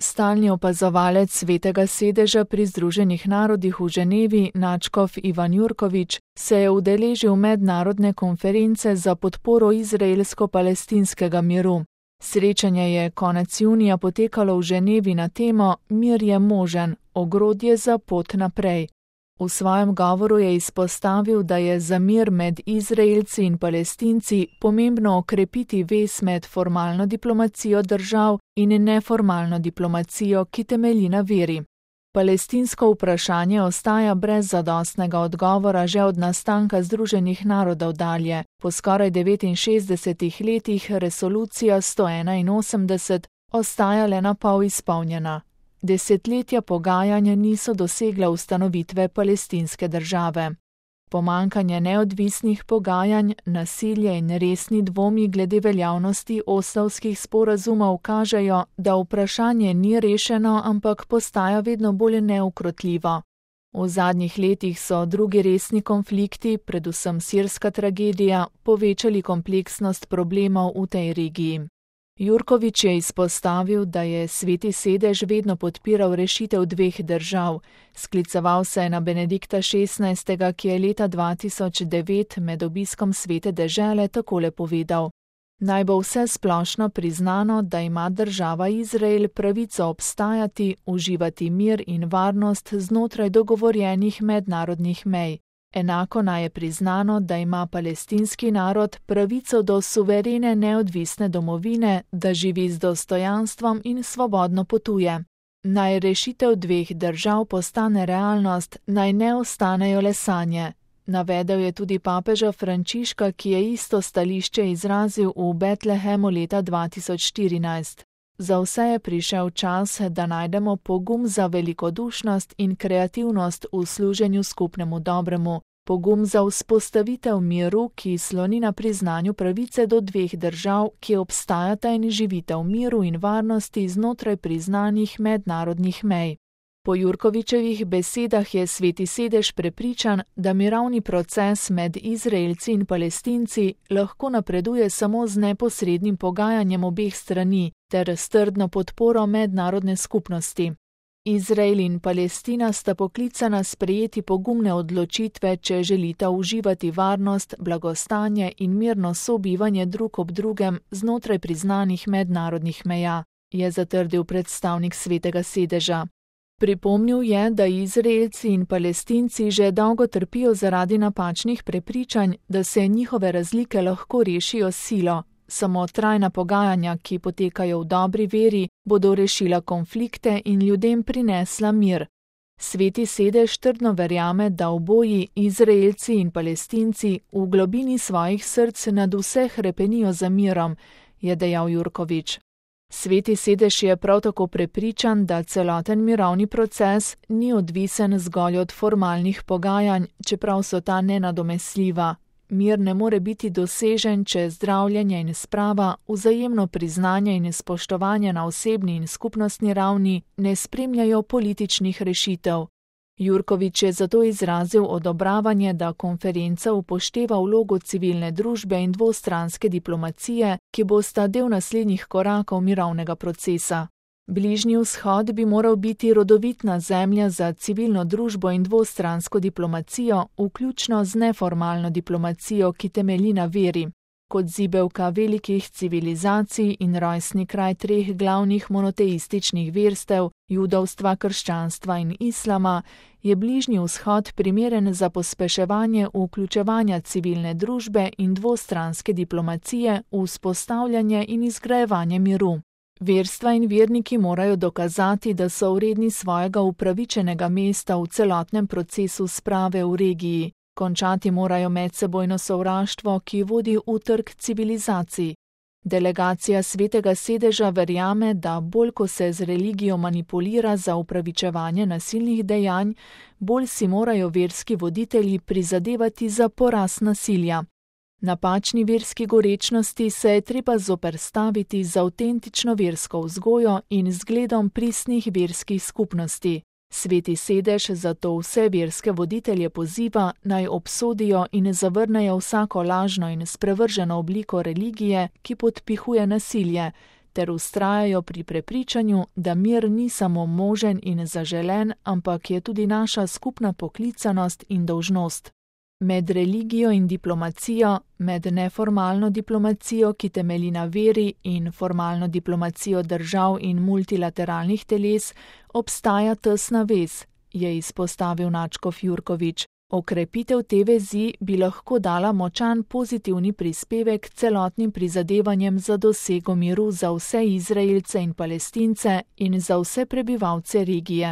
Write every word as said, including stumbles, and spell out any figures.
Stalni opazovalec Svetega sedeža pri Združenih narodih v Ženevi, nadškof Ivan Jurkovič, se je udeležil mednarodne konference za podporo izraelsko-palestinskega miru. Srečanje je konec junija potekalo v Ženevi na temo Mir je možen, ogrodje za pot naprej. V svojem govoru je izpostavil, da je za mir med Izraelci in Palestinci pomembno okrepiti vez med formalno diplomacijo držav in neformalno diplomacijo, ki temelji na veri. Palestinsko vprašanje ostaja brez zadostnega odgovora že od nastanka Združenih narodov dalje. Po skoraj devetinšestdesetih letih resolucija sto enainosemdeset ostaja le na pol izpolnjena. Desetletja pogajanja niso dosegla ustanovitve palestinske države. Pomanjkanje neodvisnih pogajanj, nasilje in resni dvomi glede veljavnosti oslovskih sporazumov kažejo, da vprašanje ni rešeno, ampak postaja vedno bolj neukrotljivo. V zadnjih letih so drugi resni konflikti, predvsem sirska tragedija, povečali kompleksnost problemov v tej regiji. Jurkovič je izpostavil, da je Sveti sedež vedno podpiral rešitev dveh držav. Skliceval se je na Benedikta šestnajstega, ki je leta dva tisoč devet med obiskom Svete dežele takole povedal: Naj bo vse splošno priznano, da ima država Izrael pravico obstajati, uživati mir in varnost znotraj dogovorjenih mednarodnih mej. Enako naj je priznano, da ima palestinski narod pravico do suverene neodvisne domovine, da živi z dostojanstvom in svobodno potuje. Naj rešitev dveh držav postane realnost, naj ne ostanejo le sanje. Navedel je tudi papeža Frančiška, ki je isto stališče izrazil v Betlehemu leta dva tisoč štirinajst. Za vse je prišel čas, da najdemo pogum za velikodušnost in kreativnost v služenju skupnemu dobremu, pogum za vzpostavitev miru, ki sloni na priznanju pravice do dveh držav, ki obstajata in živita v miru in varnosti znotraj priznanih mednarodnih mej. Po Jurkovičevih besedah je Sveti sedež prepričan, da mirovni proces med Izraelci in Palestinci lahko napreduje samo z neposrednim pogajanjem obeh strani ter s trdno podporo mednarodne skupnosti. Izrael in Palestina sta poklicana sprejeti pogumne odločitve, če želita uživati varnost, blagostanje in mirno sobivanje drug ob drugem znotraj priznanih mednarodnih meja, je zatrdil predstavnik Svetega sedeža. Pripomnil je, da Izraelci in Palestinci že dolgo trpijo zaradi napačnih prepričanj, da se njihove razlike lahko rešijo s silo. Samo trajna pogajanja, ki potekajo v dobri veri, bodo rešila konflikte in ljudem prinesla mir. Sveti sedež trdno verjame, da oboji, Izraelci in Palestinci, v globini svojih src nad vse hrepenijo za mirom, je dejal Jurkovič. Sveti sedež je prav tako prepričan, da celoten mirovni proces ni odvisen zgolj od formalnih pogajanj, čeprav so ta nenadomestljiva. Mir ne more biti dosežen, če zdravljenje in sprava, vzajemno priznanje in spoštovanje na osebni in skupnostni ravni ne spremljajo političnih rešitev. Jurkovič je zato izrazil odobravanje, da konferenca upošteva vlogo civilne družbe in dvostranske diplomacije, ki bosta del naslednjih korakov mirovnega procesa. Bližnji vzhod bi moral biti rodovitna zemlja za civilno družbo in dvostransko diplomacijo, vključno z neformalno diplomacijo, ki temelji na veri. Kot zibelka velikih civilizacij in rojstni kraj treh glavnih monoteističnih verstev, judovstva, krščanstva in islama, je Bližnji vzhod primeren za pospeševanje vključevanja civilne družbe in dvostranske diplomacije v vzpostavljanje in izgrajevanje miru. Verstva in verniki morajo dokazati, da so vredni svojega upravičenega mesta v celotnem procesu sprave v regiji. Končati morajo medsebojno sovraštvo, ki vodi v trk civilizacij. Delegacija Svetega sedeža verjame, da bolj ko se z religijo manipulira za upravičevanje nasilnih dejanj, bolj si morajo verski voditelji prizadevati za poraz nasilja. Napačni verski gorečnosti se je treba zoperstaviti z avtentično versko vzgojo in zgledom pristnih verskih skupnosti. Sveti sedež zato vse verske voditelje poziva, naj obsodijo in zavrnejo vsako lažno in sprevrženo obliko religije, ki podpihuje nasilje, ter vztrajajo pri prepričanju, da mir ni samo možen in zaželen, ampak je tudi naša skupna poklicanost in dolžnost. Med religijo in diplomacijo, med neformalno diplomacijo, ki temelji na veri, in formalno diplomacijo držav in multilateralnih teles, obstaja tesna vez, je izpostavil Nadškof Jurkovič. Okrepitev te vezi bi lahko dala močan pozitivni prispevek k celotnim prizadevanjem za dosego miru za vse Izraelce in Palestince in za vse prebivalce regije.